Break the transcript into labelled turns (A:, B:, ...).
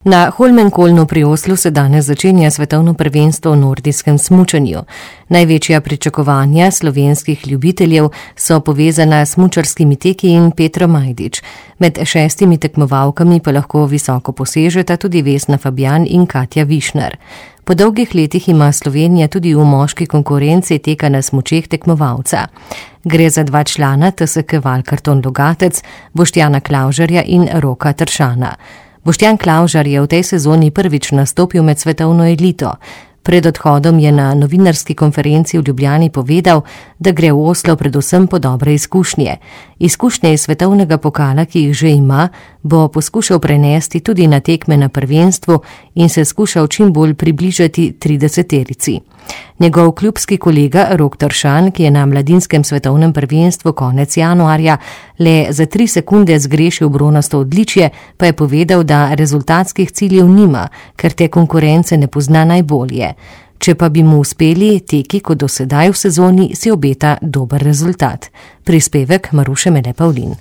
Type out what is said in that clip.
A: Na Holmenkollnu pri Oslu se danes začenja svetovno prvenstvo v nordijskem smučanju. Največja pričakovanja slovenskih ljubiteljev so povezana s smučarskimi teki in Petro Majdič. Med 6 tekmovalkami pa lahko visoko posežeta tudi Vesna Fabjan in Katja Višnar. Po dolgih letih ima Slovenija tudi v moški konkurenci teka na smučeh tekmovalca. Gre za 2 člana TSK Valkarton Logatec, Boštjana Klavžarja in Roka Tršana. Boštjan Klavžar je v tej sezoni prvič nastopil med svetovno elito. Pred odhodom je na novinarski konferenci v Ljubljani povedal, da gre v Oslo predvsem po dobre izkušnje. Izkušnje iz svetovnega pokala, ki jih že ima, bo poskušal prenesti tudi na tekme na prvenstvu in se skušal čim bolj približati 30-terici. Njegov klubski kolega Rok Tršan, ki je na mladinskem svetovnem prvenstvu konec januarja le za 3 sekunde zgrešil bronasto odličje, pa je povedal, da rezultatskih ciljev nima, ker te konkurence ne pozna najbolje. Če pa bi mu uspeli teki kot do sedaj v sezoni, si obeta dober rezultat. Prispevek Maruše Mele Pavlin.